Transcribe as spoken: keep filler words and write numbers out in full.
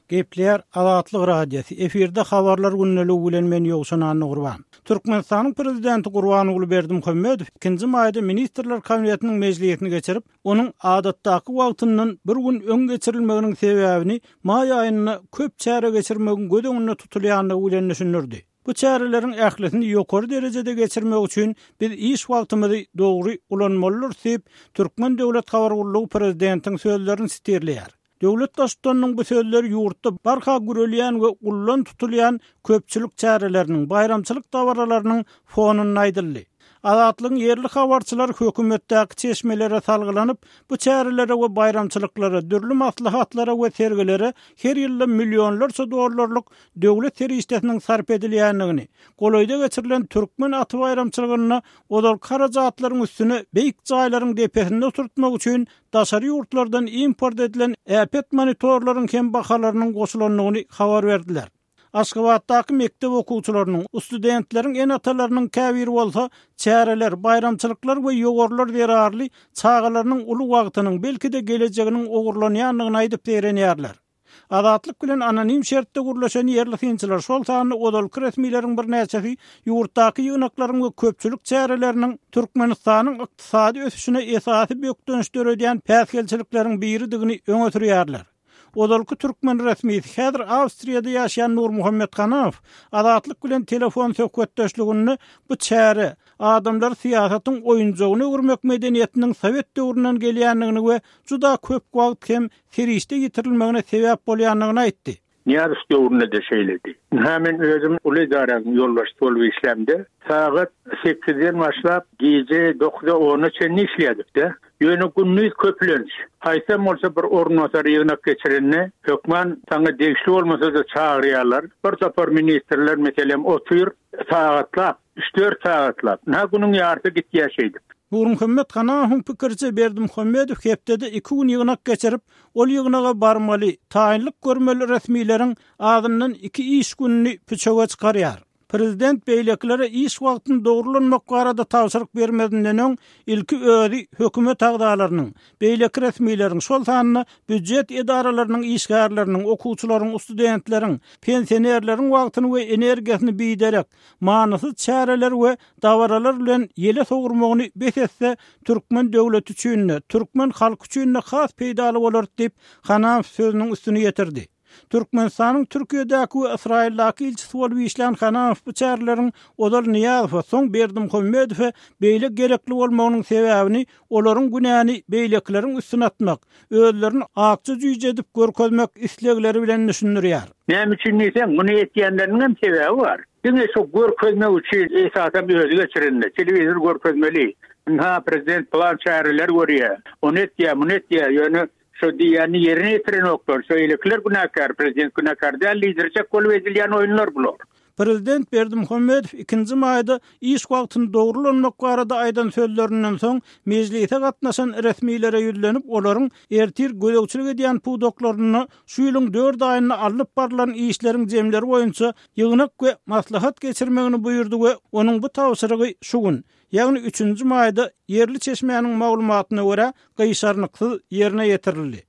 Gepleýär Azatlyk Radiosy. Efirde habarlar gündeligi bilen men Ýowşan Annagurban. Türkmenistanyň prezidenti Gurbanguly Berdimuhamedow ikinji maýda Ministrler Kabinetiniň mejlisini geçirip, onuň adatdaky wagtyndan bir gün öň geçirilmeginiň sebäbini maý aýynda köp çäre geçirmegiň göz öňünde tutulýandygy bilen düşündirdi. Bu çäreleriň ählisini ýokary derejede geçirmek üçin biz iş wagtymyzy dogry ulanmalydyrys diýip, Türkmen döwlet habar gullugy prezidentiň sözlerini sitirleýär. Döwlet Baştutanynyň bu sözleri ýurtda barha gürelýän we ullan tutulýan köpçülik çäreleriniň, baýramçylyk dabaralarynyň fonunda aýdyldy. Azatlygyň ýerli habarçylary hökümetdäki çeşmelere salgylanyp, bu çärelere we baýramçylyklara, dürli maslahatlara we sergilere her ýylda millionlarça dollarlyk döwlet serişdesiniň sarp edilýändigini, golaýda geçirilen Türkmen aty baýramçylygynda ozalky harajatlaryň üstüne beýik jaýlaryň depesinde oturtmak üçin daşary ýurtlardan import edilen äpet monitorlaryň hem bahalarynyň goşulandygyny habar berdiler. Aşgabatdaky mekdep okuwçylarynyň, studentleriň ene-atalarynyň käbiri bolsa çäreler, baýramçylyklar we ýowarlar zerarly çagalarynyň uly wagtynyň, belki-de gelejeginiň ogurlanýandygyny aýdyp zeýrenýärler. Azatlyk bilen anonim şertde gürleşen ýerli synçylar, şol sanda ozalky resmileriň birnäçesi ýurtdaky ýygnaklaryň we köpçülik çäreleriniň Türkmenistanyň ykdysady ösüşine esasy bökdenç döredýän päsgelçilikleriň biridigini öňe sürýärler. Ozalky türkmen resmisi, häzir Awstriýada ýaşaýan Nurmuhammet Hanamow Azatlyk bilen telefon söhbetdeşliginde bu çäre adamlary syýasatyň oýunjagyna öwürmek medeniýetiniň sowet döwründen gelýändigini we juda köp wagt hem serişde ýitirilmegine sebäp bolýandygyny aýtdy. Nyýazow döwründe-de şeýledi. Ynha men özüm uly edaranyň ýolbaşçysy bolup işlämde, sagat sekizden başlap gije dokuza-ona çenli işleýärdik-de. Ýöne gündiz köplenç, haýsam bolsa bir orunbasar ýygnak geçirende, hökman saňa degişli bolmasa-da çagyrýarlar. Bir topar ministrler, meselem, otyr, sagatlap, üç-dört sagatlap. Ynha günüň ýarysy gitýär şeýdip. Nurmuhammet Hanahowyň pikiriçe, Berdimuhamedow hepdede iki gün ýygnak geçirip, ol ýygnaga barmaly, taýynlyk görmeli resmileriň azyndan iki iş gününi püçege çykarýar. Prezident beýlekilere iş wagtyny dogry ulanmak barada tabşyryk bermezinden öň, ilki özi hökümet agzalarynyň, beýleki resmileriň, şol sanda býujet edaralarynyň işgärleriniň, okuwçylaryň, studentleriň, pensionerleriň wagtyny we energiýasyny biderek, manysyz çäreler we dabaralar bilen ýele sowurmagyny bes etse, türkmen döwleti üçin-de, türkmen halky üçin-de has peýdaly bolar diýip, Hanamow sözüniň üstüni ýetirdi. Türkmenistanyň Türkiýedäki we Ysraýyldaky ilçisi bolup işlän Hanamow bu çäreleriň ozal Nyýazowa, soň Berdimuhamedowa beýle gerekli bolmagynyň sebäbini olaryň günäni beýlekileriň üstüne atmak, özlerini akja jüýje edip görkezmek islegleri bilen düşündirýär. Näme üçin diýseň, muny etýänleriniň hem sebäbi bar. Diňe şo görkezmek üçin esasam özi geçirende, telewizor görkezmeli. Ynha, prezident plan çäreler görýär, ony etýär, muny etýär, ýöne şo diýýänini ýerine ýetirenoklar, şo eýlekiler günäkär, prezident günäkär däl diýdirjek bolup edilýän oýunlar bular. Prezident Berdimuhamedow ikinji maýda iş wagtyny dogry ulanmak barada aýdan sözlerinden soň, mejlise gatnaşan resmilere ýüzlenip, olaryň ertir gözegçilik edýän pudaklarynda şu ýylyň dört aýynda alnyp barlan işleriň jemleri boýunça ýygnak we maslahat geçirmegini buýurdy we onuň bu tabşyrygy şu gün, ýagny üçünji maýda ýerli çeşmäniň maglumatyna görä, gyşarnyksyz ýerine ýetirildi.